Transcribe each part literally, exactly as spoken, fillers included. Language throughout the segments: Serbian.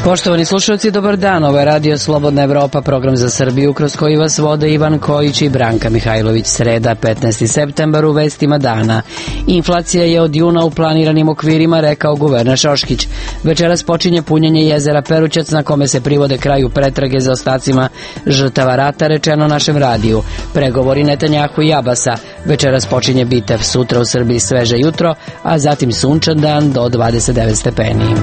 Poštovani slušalci, dobar dan. Ovo je Radio Slobodna Evropa, program za Srbiju kroz koji vas vode Ivan Kojić i Branka Mihajlović. Sreda, petnaesti septembar, u vestima dana. Inflacija je od juna u planiranim okvirima, rekao guverner Šoškić. Večeras počinje punjenje jezera Perućac, na kome se privode kraju pretrage za ostacima žrtava rata, rečeno našem radiju. Pregovori Netanjahu i Abasa. Večeras počinje bitev, sutra u Srbiji sveže jutro, a zatim sunčan dan do dvadeset devet stepeni.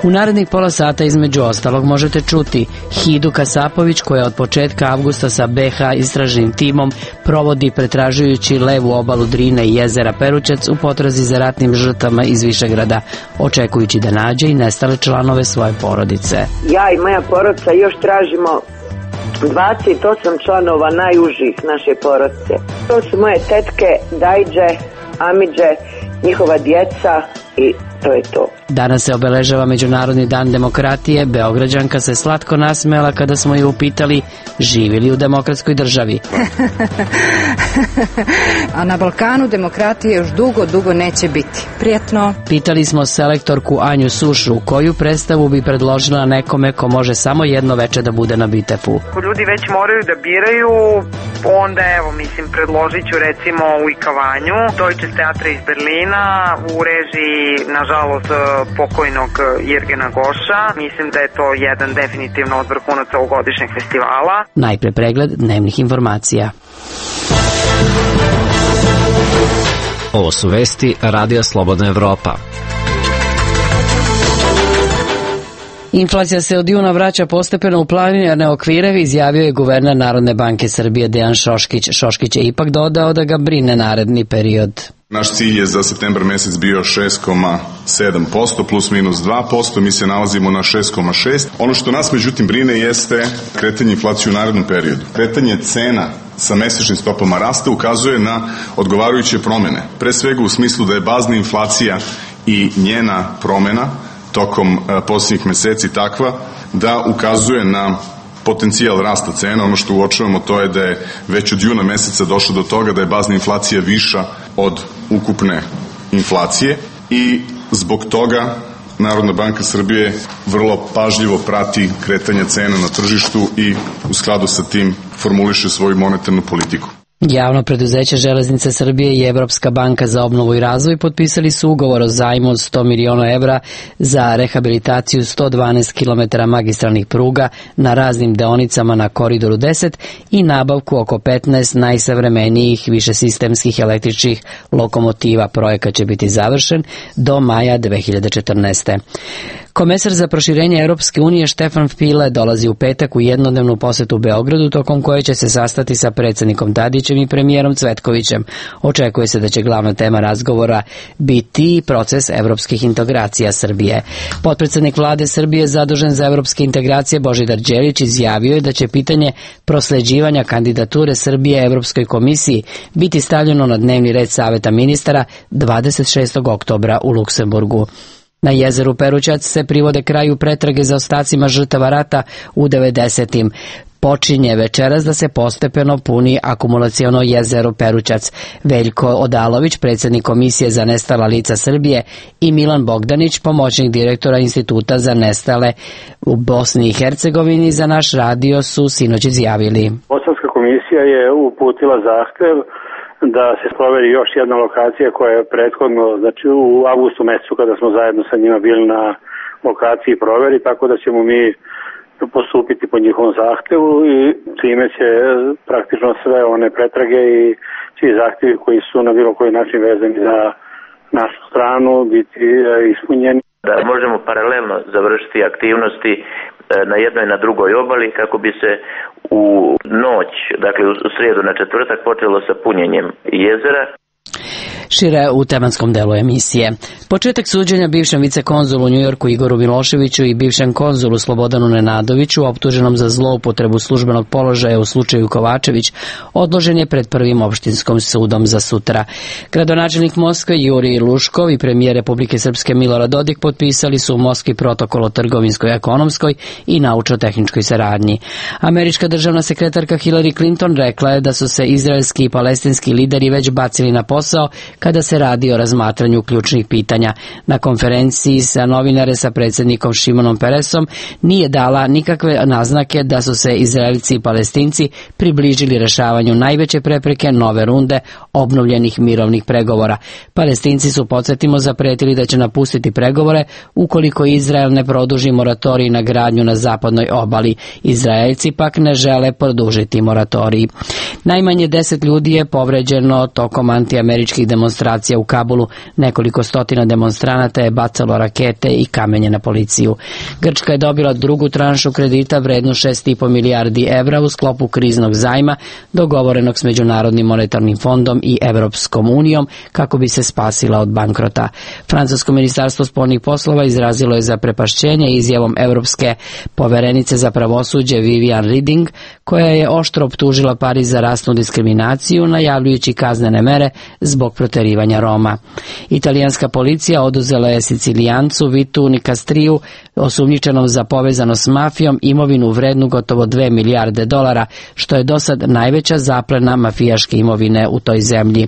U narednih pola sata između ostalog možete čuti Hidu Kasapović, koja od početka avgusta sa be ha istražnim timom provodi pretražujući levu obalu Drine i jezera Perućac u potrazi za ratnim žrtvama iz Višegrada, očekujući da nađe i nestale članove svoje porodice. Ja i moja porodica još tražimo dvadeset osam članova najužih naše porodice. To su moje tetke, dajđe, amidže, njihova djeca i to je to. Danas se obeležava Međunarodni dan demokratije. Beograđanka se slatko nasmejala kada smo ju upitali živi li u demokratskoj državi. A na Balkanu demokratije još dugo, dugo neće biti. Prijetno. Pitali smo selektorku Anju Sušu koju predstavu bi predložila nekome ko može samo jedno veče da bude na bitefu. Ako ljudi već moraju da biraju, onda evo, mislim, predložit ću recimo u Ikavanju, Deutsches Theater iz Berlina, u režiji, nažalost, pokojnog Jirgena Goša. Mislim da je to jedan definitivno od vrhunaca ovogodišnjeg festivala. Najpre pregled dnevnih informacija. Ovo su vesti Radija Slobodna Evropa. Inflacija se od juna vraća postepeno u planirane okvire, izjavio je guverner Narodne banke Srbije Dejan Šoškić. Šoškić je ipak dodao da ga brine naredni period. Naš cilj je za septembar mesec bio šest zarez sedam posto plus minus dva posto, mi se nalazimo na šest zarez šest. Ono što nas međutim brine jeste kretanje inflacije u narednom periodu. Kretanje cena sa mesečnim stopama rasta ukazuje na odgovarajuće promene. Pre svega u smislu da je bazna inflacija i njena promena tokom posljednjih meseci takva da ukazuje na potencijal rasta cena. Ono što uočavamo to je da je već od juna meseca došlo do toga da je bazna inflacija viša od ukupne inflacije i zbog toga Narodna banka Srbije vrlo pažljivo prati kretanje cena na tržištu i u skladu sa tim formuliše svoju monetarnu politiku. Javno preduzeće Železnice Srbije i Evropska banka za obnovu i razvoj potpisali su ugovor o zajmu od sto miliona evra za rehabilitaciju sto dvanaest kilometara magistralnih pruga na raznim deonicama na Koridoru deset i nabavku oko petnaest najsavremenijih višesistemskih električnih lokomotiva. Projekat će biti završen do maja dve hiljade četrnaeste. Komesar za proširenje Europske unije Štefan File dolazi u petak u jednodnevnu posetu Beogradu, tokom koje će se sastati sa predsjednikom Tadićem i premijerom Cvetkovićem. Očekuje se da će glavna tema razgovora biti proces evropskih integracija Srbije. Potpredsednik vlade Srbije zadužen za evropske integracije Božidar Đelić izjavio je da će pitanje prosleđivanja kandidature Srbije Evropskoj komisiji biti stavljeno na dnevni red Saveta ministara dvadeset šestog oktobra u Luksemburgu. Na jezeru Perućac se privode kraju pretrage za ostacima žrtava rata u devedesetim. Počinje večeras da se postepeno puni akumulaciono jezero Perućac. Veljko Odalović, predsjednik Komisije za nestala lica Srbije, i Milan Bogdanić, pomoćnik direktora Instituta za nestale u Bosni i Hercegovini, za naš radio su sinoć izjavili. Bosanska komisija je uputila zahtev da se proveri još jedna lokacija koja je prethodno, znači u avgustu mesecu kada smo zajedno sa njima bili na lokaciji proveri, tako da ćemo mi postupiti po njihovom zahtevu i time će praktično sve one pretrage i svi zahtjevi koji su na bilo koji način vezani za našu stranu biti ispunjeni. Da možemo paralelno završiti aktivnosti na jednoj i na drugoj obali kako bi se u noć, dakle u srijedu na četvrtak, počelo sa punjenjem jezera. Šire u tematskom delu emisije. Početak suđenja bivšem vicekonzulu u Njujorku Igoru Miloševiću i bivšem konzulu Slobodanu Nenadoviću, optuženom za zloupotrebu službenog položaja u slučaju Kovačević, odložen je pred prvim opštinskom sudom za sutra. Gradonačelnik Moskve Jurij Luškov i premijer Republike Srpske Milorad Dodik potpisali su u Moskvi protokol o trgovinskoj, ekonomskoj i naučno-tehničkoj saradnji. Američka državna sekretarka Hillary Clinton rekla je da su se izraelski i palestinski lideri već bacili na posao kada se radi o razmatranju ključnih pitanja. Na konferenciji sa novinare sa predsjednikom Šimonom Peresom nije dala nikakve naznake da su se Izraelci i Palestinci približili rešavanju najveće prepreke nove runde obnovljenih mirovnih pregovora. Palestinci su, podsjetimo, zapretili da će napustiti pregovore ukoliko Izrael ne produži moratorij na gradnju na zapadnoj obali. Izraelci pak ne žele produžiti moratorij. Najmanje deset ljudi je povređeno tokom antiameričkih demonstracija u Kabulu. Nekoliko stotina demonstranata je bacalo rakete i kamenje na policiju. Grčka je dobila drugu tranšu kredita vrednu šest i po milijardi evra u sklopu kriznog zajma dogovorenog s Međunarodnim monetarnim fondom i Evropskom unijom kako bi se spasila od bankrota. Francusko ministarstvo spoljnih poslova izrazilo je zaprepašćenje izjavom Evropske poverenice za pravosuđe Viviane Reding, koja je oštro optužila Pariz za rasnu diskriminaciju, najavljujući kaznene mere zbog proterivanja Roma. Italijanska policija oduzela je Sicilijancu Vitu Nicastriju, osumnjičenom za povezanost s mafijom, imovinu vrednu gotovo dve milijarde dolara, što je dosad najveća zaplena mafijaške imovine u toj zemlji.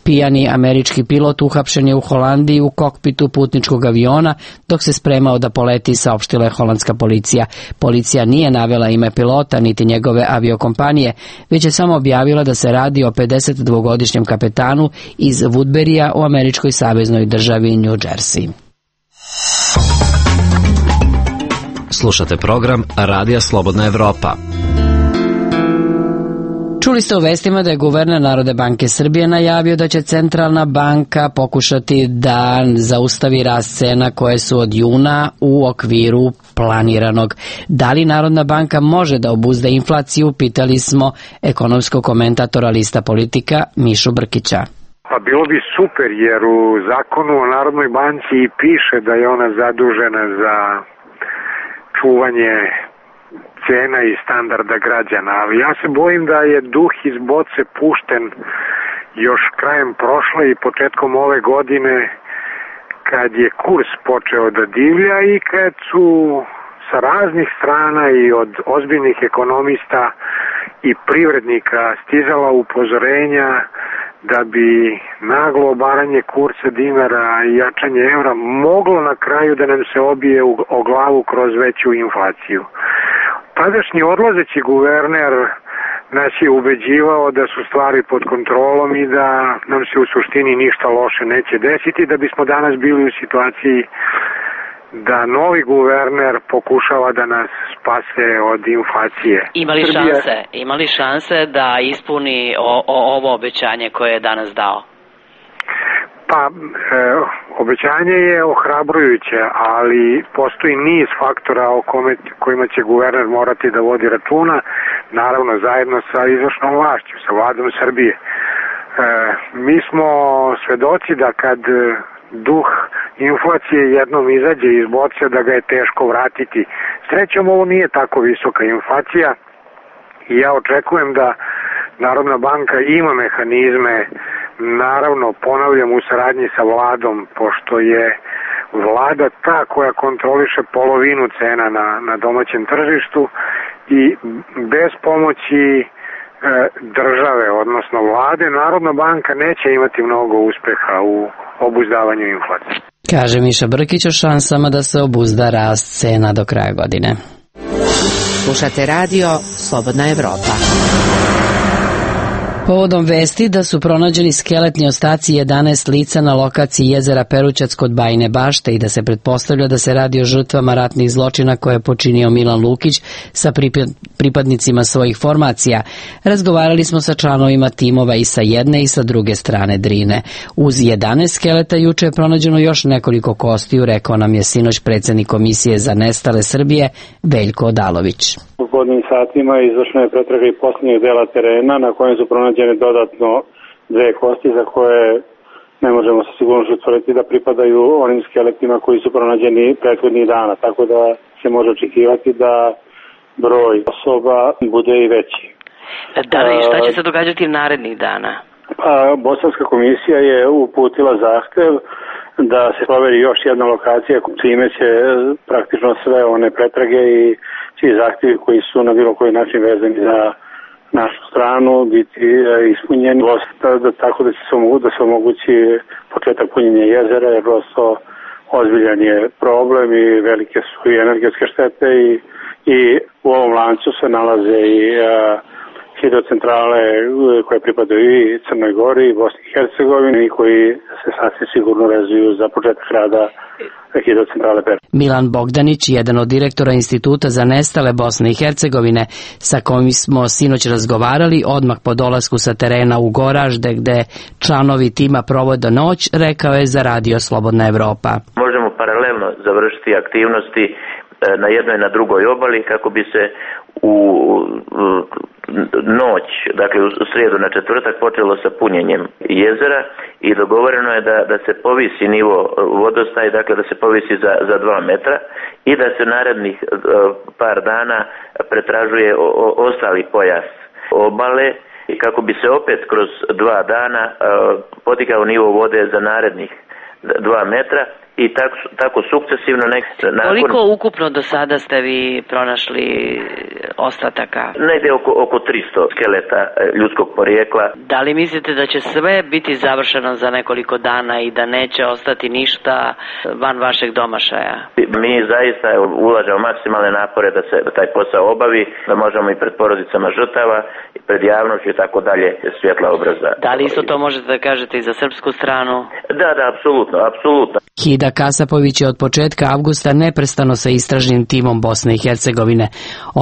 Pijani američki pilot uhapšen je u Holandiji u kokpitu putničkog aviona dok se spremao da poleti, saopštila je holandska policija. Policija nije navela ime pilota niti njegove aviokompanije, već je samo objavila da se radi o pedesetdvogodišnjem kapetanu iz Woodburya u američkoj saveznoj državi New Jersey. Slušate program Radija Slobodna Evropa. Čuli ste u vestima da je guverner Narodne banke Srbije najavio da će centralna banka pokušati da zaustavi rast cena koje su od juna u okviru planiranog. Da li Narodna banka može da obuzda inflaciju, pitali smo ekonomskog komentatora Lista Politika Mišu Brkića. Pa bilo bi super, jer u zakonu o Narodnoj banci piše da je ona zadužena za čuvanje cena i standarda građana, ali ja se bojim da je duh iz boce pušten još krajem prošle i početkom ove godine, kad je kurs počeo da divlja i kad su sa raznih strana i od ozbiljnih ekonomista i privrednika stizala upozorenja da bi naglo obaranje kursa dinara i jačanje evra moglo na kraju da nam se obije o glavu kroz veću inflaciju. Tadašnji odlazeći guverner nas je ubeđivao da su stvari pod kontrolom i da nam se u suštini ništa loše neće desiti, da bismo danas bili u situaciji da novi guverner pokušava da nas spase od inflacije. Imali šanse, imali šanse da ispuni o, o, ovo obećanje koje je danas dao? Pa, e, obećanje je ohrabrujuće, ali postoji niz faktora o kome, kojima će guverner morati da vodi računa, naravno zajedno sa izvršnom vlašću, sa vladom Srbije. E, mi smo svedoci da kad duh inflacije jednom izađe iz boce, da ga je teško vratiti. Srećom, ovo nije tako visoka inflacija i ja očekujem da Narodna banka ima mehanizme, naravno, ponavljam, u saradnji sa vladom, pošto je vlada ta koja kontroliše polovinu cena na, na domaćem tržištu i bez pomoći e, države, odnosno vlade, Narodna banka neće imati mnogo uspeha u obuzdavanju inflacije. Kaže Miša Brkić o šansama da se obuzda rast cena do kraja godine. Slušate radio Slobodna Evropa. Povodom vesti da su pronađeni skeletni ostaci jedanaest lica na lokaciji jezera Perućac kod Bajine Bašte i da se pretpostavlja da se radi o žrtvama ratnih zločina koje je počinio Milan Lukić sa pripadnicima svojih formacija, razgovarali smo sa članovima timova i sa jedne i sa druge strane Drine. Uz jedanaest skeleta juče je pronađeno još nekoliko kostiju, rekao nam je sinoć predsjednik Komisije za nestale Srbije Veljko Odalović. U podnim satima izvršena je pretraga i posljednjeg dela terena na kojem su pronađene dodatno dve kosti za koje ne možemo sa sigurnošću utvrditi da pripadaju onim skeletima koji su pronađeni prethodnih dana, tako da se može očekivati da broj osoba bude i veći. Da li šta će se događati narednih dana? Pa, Bosanska komisija je uputila zahtev da se proveri još jedna lokacija, čime će praktično sve one pretrage i svi zahtjevi koji su na bilo koji način vezani za našu stranu danu biti ispunjeni, da, tako da, se omogu, da se omogući početak punjenja jezera, jer prosto ozbiljan je problem i velike su i energetske štete i, i u ovom lancu se nalaze i a, hidrocentrale koje pripadaju i Crnoj Gori i Bosni i Hercegovini i koji se sasvim sigurno vezuju za početak rada hidrocentrale Pera. Milan Bogdanić, jedan od direktora Instituta za nestale Bosne i Hercegovine, sa kojim smo sinoć razgovarali odmah po dolasku sa terena u Goražde, gde članovi tima provode noć, rekao je za Radio Slobodna Evropa. Možemo paralelno završiti aktivnosti na jednoj i na drugoj obali kako bi se u noć, dakle u srijedu na četvrtak počelo sa punjenjem jezera i dogovoreno je da, da se povisi nivo vodostaj, dakle da se povisi za, za dva metra i da se narednih par dana pretražuje o, o, ostali pojas obale kako bi se opet kroz dva dana podigao nivo vode za narednih dva metra. I tako, tako sukcesivno nek... Nakon... Koliko ukupno do sada ste vi pronašli ostataka? Negdje oko, oko tristo skeleta ljudskog porijekla. Da li mislite da će sve biti završeno za nekoliko dana i da neće ostati ništa van vašeg domašaja? Mi zaista ulažemo maksimalne napore da se da taj posao obavi, da možemo i pred porodicama žrtava, i pred javnošću i tako dalje svjetla obraza. Da li isto to možete da kažete i za srpsku stranu? Da, da, apsolutno, apsolutno. Hida Kasapović je od početka avgusta neprestano sa istražnim timom Bosne i Hercegovine.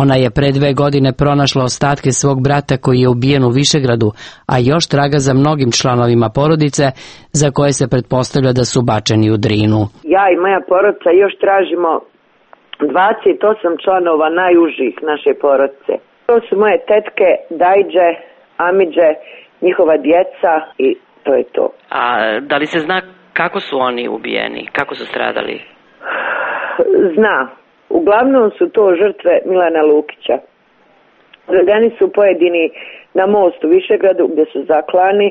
Ona je pre dve godine pronašla ostatke svog brata koji je ubijen u Višegradu, a još traga za mnogim članovima porodice za koje se pretpostavlja da su bačeni u Drinu. Ja i moja porodica još tražimo dvadeset osam članova najužih naše porodice. To su moje tetke, dajđe, amidže, njihova djeca i to je to. A da li se zna kako su oni ubijeni? Kako su stradali? Zna. Uglavnom su to žrtve Milana Lukića. Odvedeni su pojedini na most u Višegradu gdje su zaklani,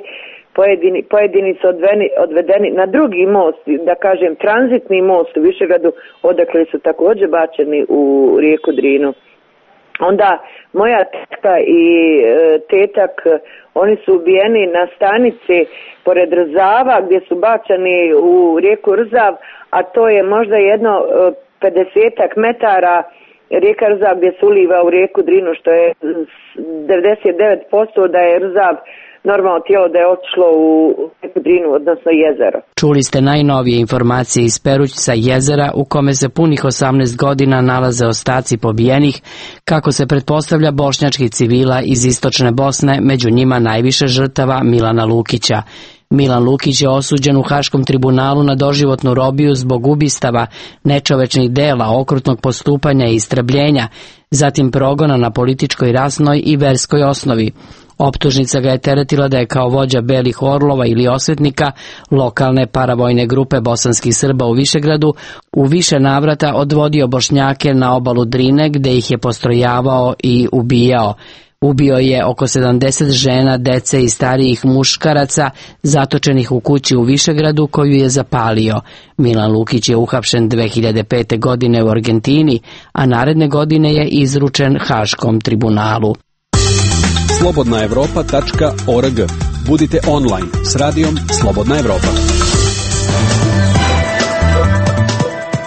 pojedini, pojedini su odveni, odvedeni na drugi most, da kažem tranzitni most u Višegradu, odakle su također bačeni u rijeku Drinu. Onda moja tetka i e, tetak, oni su ubijeni na stanici pored Rzava gdje su bačani u rijeku Rzav, a to je možda jedno e, pedesetak metara rijeka Rzav gdje se uliva u rijeku Drinu, što je devedeset devet posto da je Rzav normalno tijelo da je otišlo u rijeku Drinu, odnosno jezero. Čuli ste najnovije informacije iz Perućca jezera u kome se punih osamnaest godina nalaze ostaci pobijenih, kako se pretpostavlja bošnjačkih civila iz istočne Bosne, među njima najviše žrtava Milana Lukića. Milan Lukić je osuđen u Haškom tribunalu na doživotnu robiju zbog ubistava, nečovečnih dela, okrutnog postupanja i istrebljenja, zatim progona na političkoj, rasnoj i verskoj osnovi. Optužnica ga je teretila da je kao vođa Belih orlova ili osvetnika lokalne paravojne grupe bosanskih Srba u Višegradu u više navrata odvodio Bošnjake na obalu Drine gde ih je postrojavao i ubijao. Ubio je oko sedamdeset žena, dece i starijih muškaraca zatočenih u kući u Višegradu koju je zapalio. Milan Lukić je uhapšen dve hiljade pete. godine u Argentini, a naredne godine je izručen Haškom tribunalu. slobodna evropa tačka org. Budite online s radijom Slobodna Evropa.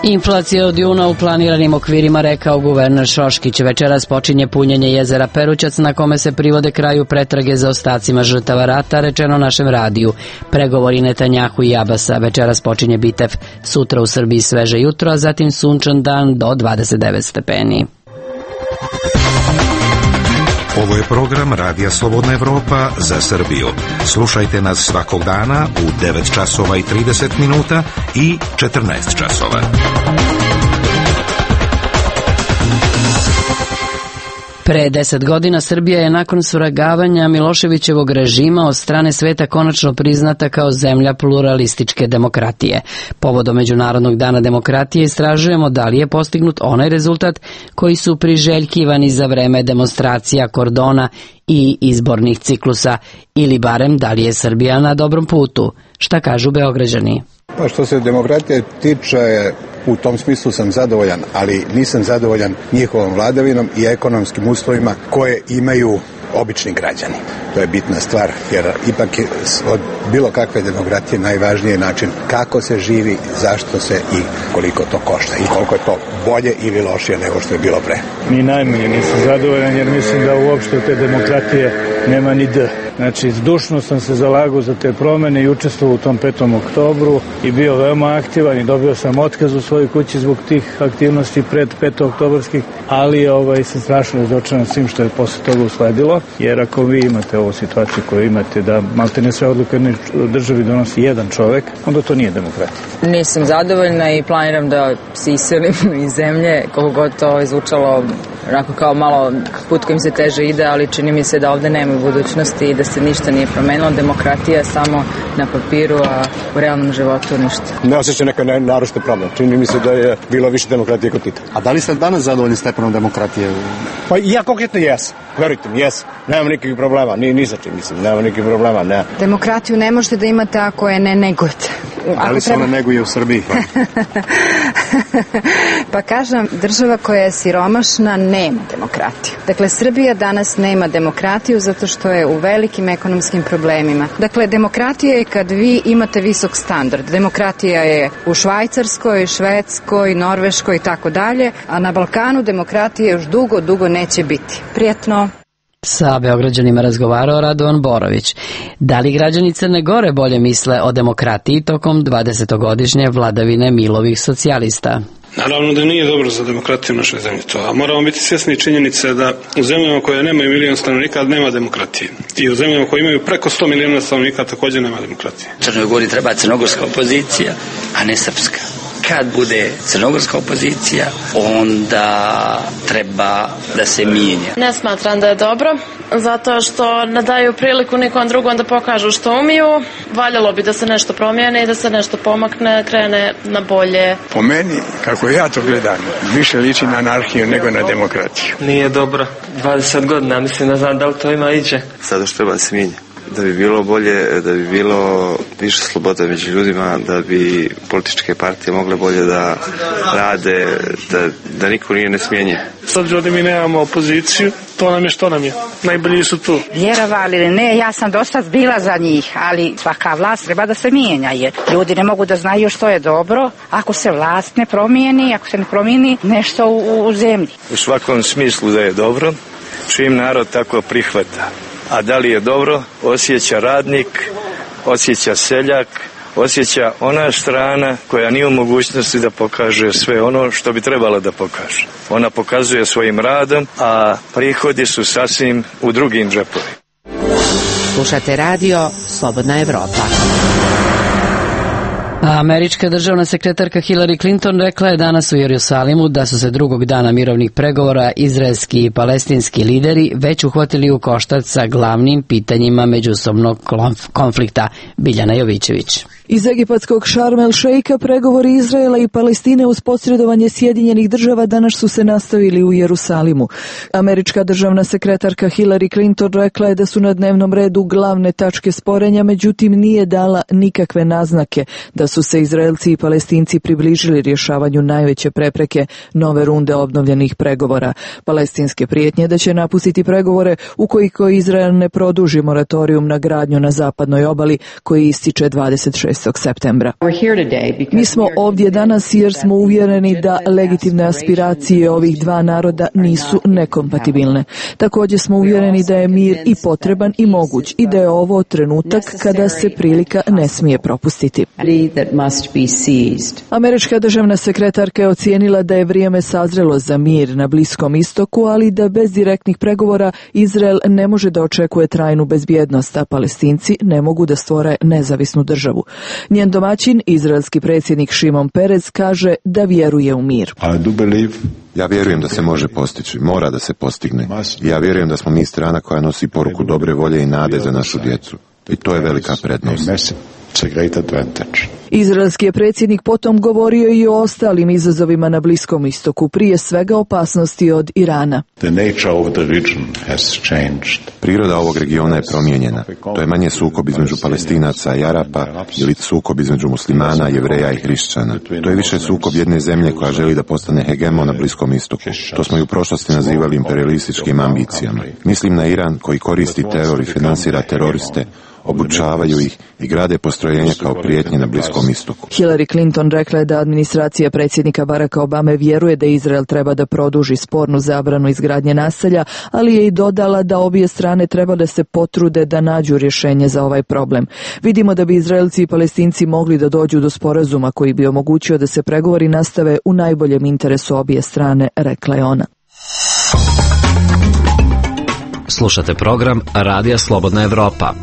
Inflacija od juna u planiranim okvirima, rekao guverner Šoškić. Večeras počinje punjenje jezera Perućac na kome se privode kraju pretrage za ostacima žrtava rata, rečeno našem radiju. Pregovori Netanjahu i Abasa. Večeras počinje Bitev. Sutra u Srbiji sveže jutro, a zatim sunčan dan do dvadeset devet stepeni. Ovo je program Radija Slobodna Evropa za Srbiju. Slušajte nas svakog dana u devet časova i trideset minuta i četrnaest časova. Pre deset godina Srbija je nakon svrgavanja Miloševićevog režima od strane sveta konačno priznata kao zemlja pluralističke demokratije. Povodom Međunarodnog dana demokratije istražujemo da li je postignut onaj rezultat koji su priželjkivani za vreme demonstracija, kordona i izbornih ciklusa, ili barem da li je Srbija na dobrom putu. Šta kažu Beograđani? Pa što se demokratije tiče, u tom smislu sam zadovoljan, ali nisam zadovoljan njihovom vladavinom i ekonomskim uslovima koje imaju obični građani. To je bitna stvar, jer ipak je od bilo kakve demokratije najvažniji način kako se živi, zašto se i koliko to košta i koliko je to bolje ili lošije nego što je bilo pre. Ni najmanje nisam zadovoljan, jer mislim da uopšte u te demokratije nema ni D. Znači, zdušno sam se zalagao za te promene i učestvovao u tom petom oktobru i bio veoma aktivan i dobio sam otkaz u svojoj kući zbog tih aktivnosti pred petooktobarskih, ali ovaj, sam strašno razočaran svim što je posle toga usledilo, jer ako vi imate ovu situaciju koju imate da maltene sve odluke u državi donosi jedan čovek, onda to nije demokratija. Nisam zadovoljna i planiram da se iselim iz zemlje, koliko god to izvučalo onako kao malo put kojim se teže ide, ali čini mi se da ovde nema budućnosti i da se ništa nije promenilo. Demokratija je samo na papiru, a u realnom životu ništa. Ne osjećam neka naročite promjena. Čini mi se da je bilo više demokratije kod Tita. A da li ste danas zadovoljni stepenom demokratije? Pa ja konkretno jesam. Verujte mi, jesam. Nemam nikakvih problema. Ni, ni sa čim, mislim. Nemam nikakvih problema. Ne. Demokratiju ne možete da imate ako je ne negujete. Da li se ona neguje u Srbiji? Pa kažem, država koja je siromašna nema demokratiju. Dakle, Srbija danas nema demokratiju zato što je u velikim ekonomskim problemima. Dakle, demokratija je kad vi imate visok standard. Demokratija je u Švajcarskoj, Švedskoj, Norveškoj i tako dalje, a na Balkanu demokratije još dugo, dugo neće biti. Prijetno. Sa Beograđanima razgovarao Radovan Borović. Da li građani Crne Gore bolje misle o demokratiji tokom dvadesetogodišnje vladavine Milovih socijalista? Naravno da nije dobro za demokratiju u našoj zemlji to, a moramo biti svjesni činjenice da u zemljama koje nemaju milion stanovnika nema demokratije. I u zemljama koje imaju preko sto miliona stanovnika također nema demokratije. Crnoj Gori treba crnogorska opozicija, a ne srpska. Kad bude crnogorska opozicija, onda treba da se mijenja. Ne smatram da je dobro, zato što ne daju priliku nikom drugom da pokažu što umiju. Valjalo bi da se nešto promijeni i da se nešto pomakne, krene na bolje. Po meni, kako ja to gledam, više liči na anarhiju nego na demokratiju. Nije dobro. dvadeset godina, mislim, ne znam da li to ima iđe. Sada što treba se mijenja. Da bi bilo bolje, da bi bilo više slobode među ljudima, da bi političke partije mogle bolje da rade, da, da niko nije nesmijenjen. S obzirom da mi nemamo opoziciju, to nam je što nam je. Najbolji su tu. Vjerovali ili ne, ja sam dosta bila za njih, ali svaka vlast treba da se mijenja, jer ljudi ne mogu da znaju što je dobro ako se vlast ne promijeni, ako se ne promijeni nešto u, u zemlji. U svakom smislu da je dobro, čim narod tako prihvata. A da li je dobro, osjeća radnik, osjeća seljak, osjeća ona strana koja nije u mogućnosti da pokaže sve ono što bi trebala da pokaže. Ona pokazuje svojim radom, a prihodi su sasvim u drugim džepovima. Slušate radio Slobodna Evropa. Američka državna sekretarka Hillary Clinton rekla je danas u Jerusalimu da su se drugog dana mirovnih pregovora izraelski i palestinski lideri već uhvatili u koštac sa glavnim pitanjima međusobnog konflikta. Biljana Jovićević. Iz egipatskog Šarm el Šeika pregovori Izraela i Palestine uz posredovanje Sjedinjenih država danas su se nastavili u Jerusalimu. Američka državna sekretarka Hillary Clinton rekla je da su na dnevnom redu glavne tačke sporenja, međutim nije dala nikakve naznake da su se Izraelci i Palestinci približili rješavanju najveće prepreke nove runde obnovljenih pregovora. Palestinske prijetnje da će napustiti pregovore ukoliko Izrael ne produži moratorijum na gradnju na zapadnoj obali koji ističe dvadeset šestog septembra. Mi smo ovdje danas jer smo uvjereni da legitimne aspiracije ovih dva naroda nisu nekompatibilne. Također smo uvjereni da je mir i potreban i moguć i da je ovo trenutak kada se prilika ne smije propustiti. Američka državna sekretarka je ocijenila da je vrijeme sazrelo za mir na Bliskom istoku, ali da bez direktnih pregovora Izrael ne može da očekuje trajnu bezbjednost, a Palestinci ne mogu da stvore nezavisnu državu. Njen domaćin, izraelski predsjednik Šimon Perez, kaže da vjeruje u mir. Ja vjerujem da se može postići, mora da se postigne. Ja vjerujem da smo mi strana koja nosi poruku dobre volje i nade za našu djecu. I to je velika prednost. It's a great advantage. Izraelski je predsjednik potom govorio i o ostalim izazovima na Bliskom istoku, prije svega opasnosti od Irana. The nature of the region has changed. Priroda ovog regiona je promijenjena. To je manje sukob između Palestinaca i Arapa ili sukob između muslimana, jevreja i hrišćana. To je više sukob jedne zemlje koja želi da postane hegemon na Bliskom istoku. To smo i u prošlosti nazivali imperialističkim ambicijama. Mislim na Iran koji koristi teror i finansira teroriste, obučavaju ih i grade postrojenja kao prijetnje na Bliskom istoku. Hillary Clinton rekla je da administracija predsjednika Baracka Obame vjeruje da Izrael treba da produži spornu zabranu izgradnje naselja, ali je i dodala da obje strane treba da se potrude da nađu rješenje za ovaj problem. Vidimo da bi Izraelci i Palestinci mogli da dođu do sporazuma koji bi omogućio da se pregovori nastave u najboljem interesu obje strane, rekla je ona. Slušate program Radija Slobodna Evropa.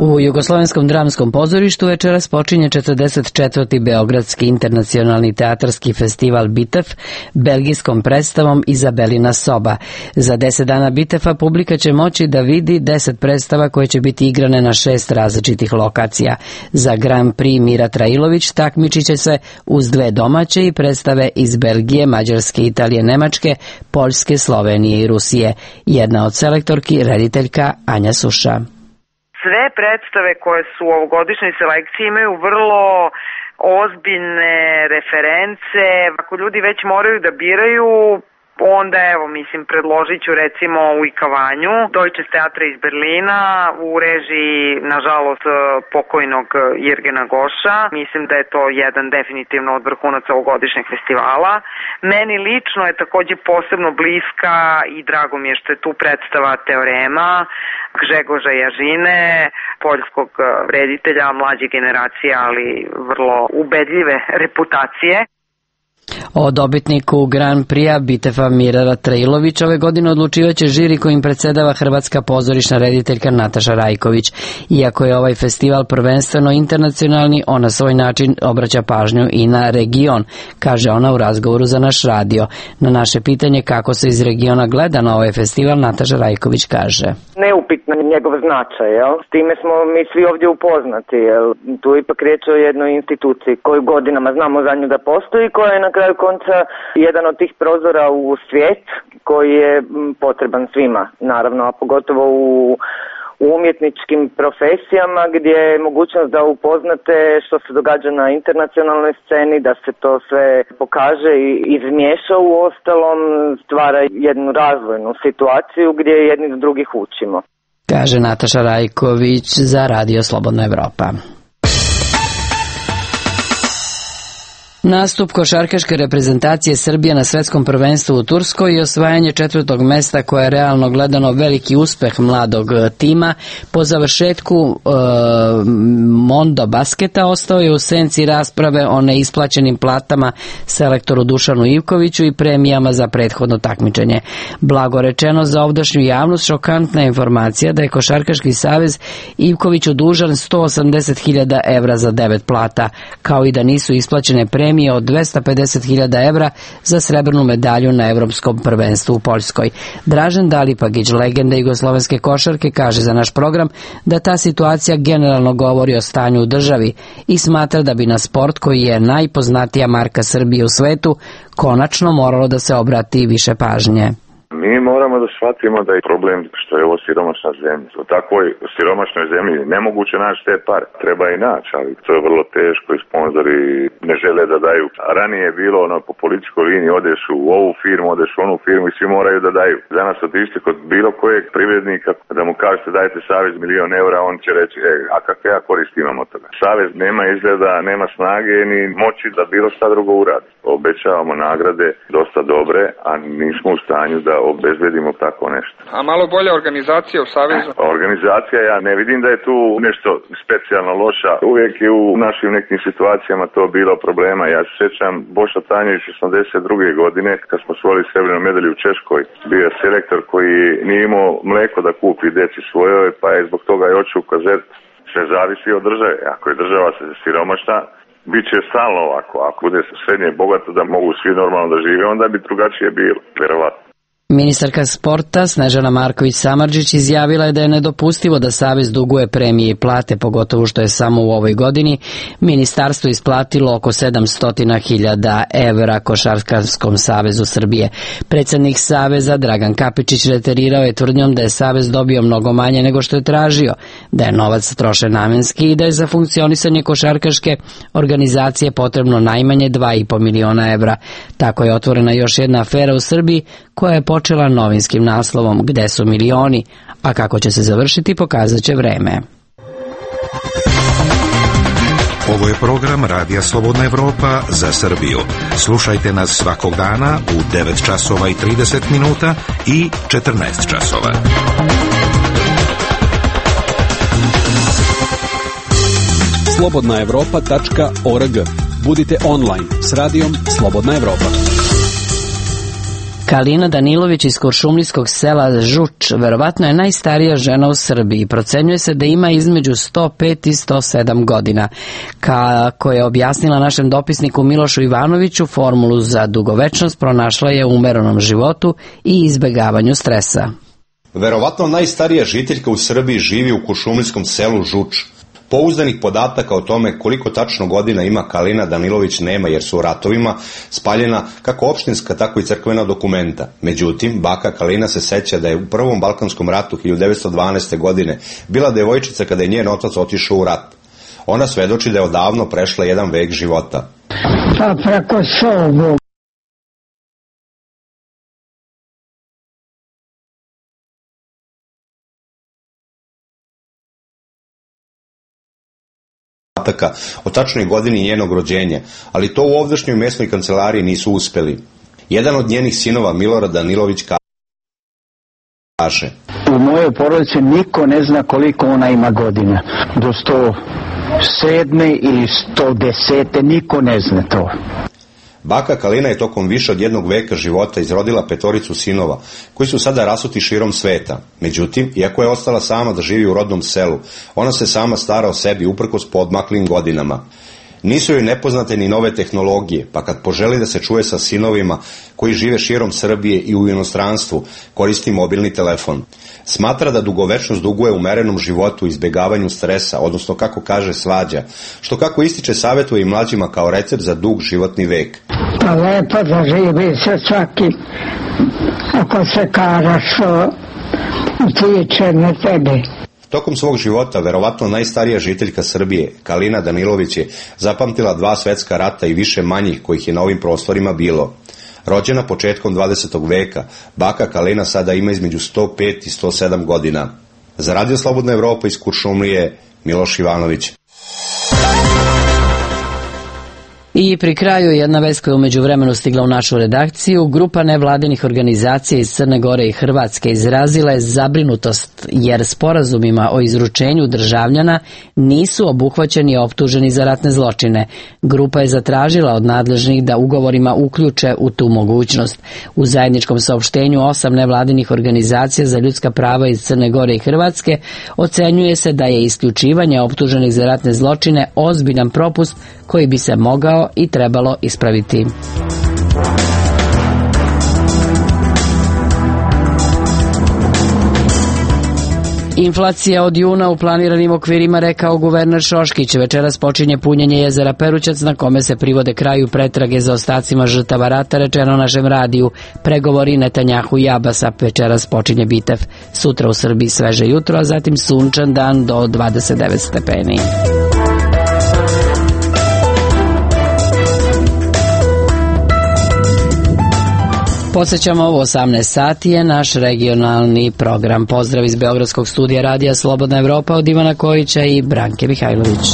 U Jugoslovenskom dramskom pozorištu večeras počinje četrdeset četvrti Beogradski internacionalni teatarski festival Bitef belgijskom predstavom Izabelina soba. Za deset dana Bitefa publika će moći da vidi deset predstava koje će biti igrane na šest različitih lokacija. Za Grand Prix Mira Trailović takmičit će se uz dve domaće i predstave iz Belgije, Mađarske, Italije, Nemačke, Poljske, Slovenije i Rusije. Jedna od selektorki, rediteljka Anja Suša. Sve predstave koje su u ovogodišnjoj selekciji imaju vrlo ozbiljne reference. Ako ljudi već moraju da biraju, onda evo, mislim, predložit ću recimo u Ikavanju, Deutsches Theater iz Berlina, u režiji, nažalost, pokojnog Jirgena Goša. Mislim da je to jedan definitivno od vrhunaca ovogodišnjeg festivala. Meni lično je takođe posebno bliska i drago mi je što je tu predstava Teorema Gžegoža Jažine, poljskog reditelja, mlađe generacije, ali vrlo ubedljive reputacije. O dobitniku Grand Prix Bitefa Mirara Trailović ove godine odlučivaće žiri kojim predsedava hrvatska pozorišna rediteljka Nataša Rajković. Iako je ovaj festival prvenstveno internacionalni, on na svoj način obraća pažnju i na region, kaže ona u razgovoru za naš radio. Na naše pitanje kako se iz regiona gleda na ovaj festival, Nataša Rajković kaže: Neupitno njegov značaj, jel? S time smo mi svi ovdje upoznati, jel? Tu ipak riječ o jednoj instituciji koju godinama znamo za nju da postoji, koja je na kraju konca jedan od tih prozora u svijet koji je potreban svima, naravno, a pogotovo u u umjetničkim profesijama gdje je mogućnost da upoznate što se događa na internacionalnoj sceni, da se to sve pokaže i izmiješa u ostalom, stvara jednu razvojnu situaciju gdje jedni od drugih učimo. Kaže Nataša Rajković za Radio Slobodna Evropa. Nastup košarkaške reprezentacije Srbije na svetskom prvenstvu u Turskoj i osvajanje četvrtog mesta koje je realno gledano veliki uspeh mladog tima po završetku e, Mondo basketa ostao je u senci rasprave o neisplaćenim platama selektoru Dušanu Ivkoviću i premijama za prethodno takmičenje. Blago rečeno, za ovdašnju javnost šokantna informacija da je Košarkaški savez Ivkoviću dužan sto osamdeset hiljada evra za devet plata, kao i da nisu isplaćene premije od dvesta pedeset hiljada evra za srebrnu medalju na Evropskom prvenstvu u Poljskoj. Dražen Dalipagić, legenda jugoslovenske košarke, kaže za naš program da ta situacija generalno govori o stanju u državi i smatra da bi na sport, koji je najpoznatija marka Srbije u svetu, konačno moralo da se obrati više pažnje. Mi moramo da shvatimo da je problem što je ovo siromašna zemlja. U takvoj siromašnoj zemlji nemoguće naći te pare. Treba i naći, ali to je vrlo teško i sponzori ne žele da daju. A ranije je bilo ono po političkoj liniji, odeš u ovu firmu, odeš u onu firmu i svi moraju da daju. Za nas otišti kod bilo kojeg privrednika da mu kažete dajte savez milion eura, on će reći e, a kakve ja korist imam od toga. Savez nema izgleda, nema snage ni moći da bilo šta drugo uradi. Obećavamo nagrade dosta dobre, a nismo u stanju da obezbedimo tako nešto. A malo bolja organizacija u Savezu? Organizacija, ja ne vidim da je tu nešto specijalno loša. Uvijek je u našim nekim situacijama to bilo problema. Ja se sjećam Boša Tanjević osamdeset druge godine kad smo osvojili srebrnu medalju u Češkoj. Bio je selektor koji nije imao mleko da kupi deci svojoj, pa je zbog toga i očeo ukazati. Sve zavisi od države. Ako je država siromašna, bit će stalno ovako. Ako bude srednje bogato da mogu svi normalno da žive, onda bi drugačije bilo, vjerovatno. Ministarka sporta Snežana Marković-Samardžić izjavila je da je nedopustivo da Savez duguje premije i plate, pogotovo što je samo u ovoj godini ministarstvo isplatilo oko sedamsto hiljada evra Košarkaškom savezu Srbije. Predsjednik Saveza Dragan Kapičić reterirao je tvrdnjom da je Savez dobio mnogo manje nego što je tražio, da je novac trošen namenski i da je za funkcionisanje košarkaške organizacije potrebno najmanje dva i po miliona evra. Tako je otvorena još jedna afera u Srbiji koja je počela novinskim naslovom Gde su milioni, a kako će se završiti pokazat će vreme. Ovo je program Radija Slobodna Evropa za Srbiju. Slušajte nas svakog dana u devet časova i trideset minuta i četrnaest časova. slobodna evropa tačka org. Budite online s radijom Slobodna Evropa. Kalina Danilović iz kuršumlijskog sela Žuč verovatno je najstarija žena u Srbiji. Procenjuje se da ima između sto pet i sto sedam godina. Kako je objasnila našem dopisniku Milošu Ivanoviću, formulu za dugovečnost pronašla je u umerenom životu i izbegavanju stresa. Verovatno najstarija žiteljka u Srbiji živi u kuršumlijskom selu Žuč. Pouzdanih podataka o tome koliko tačno godina ima Kalina Danilović nema, jer su u ratovima spaljena kako opštinska, tako i crkvena dokumenta. Međutim, baka Kalina se seća da je u Prvom Balkanskom ratu hiljadu devetsto dvanaeste. godine bila devojčica kada je njen otac otišao u rat. Ona svedoči da je odavno prešla jedan vek života. Pa preko sobu. O tačnoj godini njenog rođenja, ali to u ovdašnjoj mesnoj kancelariji nisu uspeli. Jedan od njenih sinova, Milorad Danilović, kaže: U mojoj porodici niko ne zna koliko ona ima godina. Do sto sedme ili sto desete niko ne zna to. Baka Kalina je tokom više od jednog veka života izrodila petoricu sinova, koji su sada rasuti širom sveta. Međutim, iako je ostala sama da živi u rodnom selu, ona se sama stara o sebi uprkos podmaklim godinama. Nisu joj nepoznate ni nove tehnologije, pa kad poželi da se čuje sa sinovima koji žive širom Srbije i u inostranstvu, koristi mobilni telefon. Smatra da dugovečnost duguje umerenom životu i izbegavanju stresa, odnosno, kako kaže, svađa, što, kako ističe, savjetuje i mlađima kao recept za dug životni vek. Pa lepo da živi se svaki, ako se karaš, utiče na tebe. Tokom svog života, verovatno najstarija žiteljka Srbije, Kalina Danilović, je zapamtila dva svetska rata i više manjih kojih je na ovim prostorima bilo. Rođena početkom dvadesetog veka, baka Kalina sada ima između sto pet i sto sedam godina. Za Radio Slobodna Evropa iz Kuršumlije, Miloš Ivanović. I pri kraju jedna vest koja je umeđu vremenu stigla u našu redakciju. Grupa nevladinih organizacija iz Crne Gore i Hrvatske izrazila je zabrinutost jer sporazumima o izručenju državljana nisu obuhvaćeni i optuženi za ratne zločine. Grupa je zatražila od nadležnih da ugovorima uključe u tu mogućnost. U zajedničkom saopštenju osam nevladinih organizacija za ljudska prava iz Crne Gore i Hrvatske ocenjuje se da je isključivanje optuženih za ratne zločine ozbiljan propust koji bi se mogao i trebalo ispraviti. Inflacija od juna u planiranim okvirima, rekao guverner Šoškić. Večeras počinje punjenje jezera Perućac na kome se privode kraju pretrage za ostacima žrtava rata, rečeno našem radiju. Pregovori Netanjahu i Abasa. Večeras počinje bitev. Sutra u Srbiji sveže jutro, a zatim sunčan dan do dvadeset devet stepeni. Podsećamo, ovo osamnaest sati je naš regionalni program. Pozdrav iz Beogradskog studija Radija Slobodna Evropa od Ivana Kojića i Branke Mihajlović.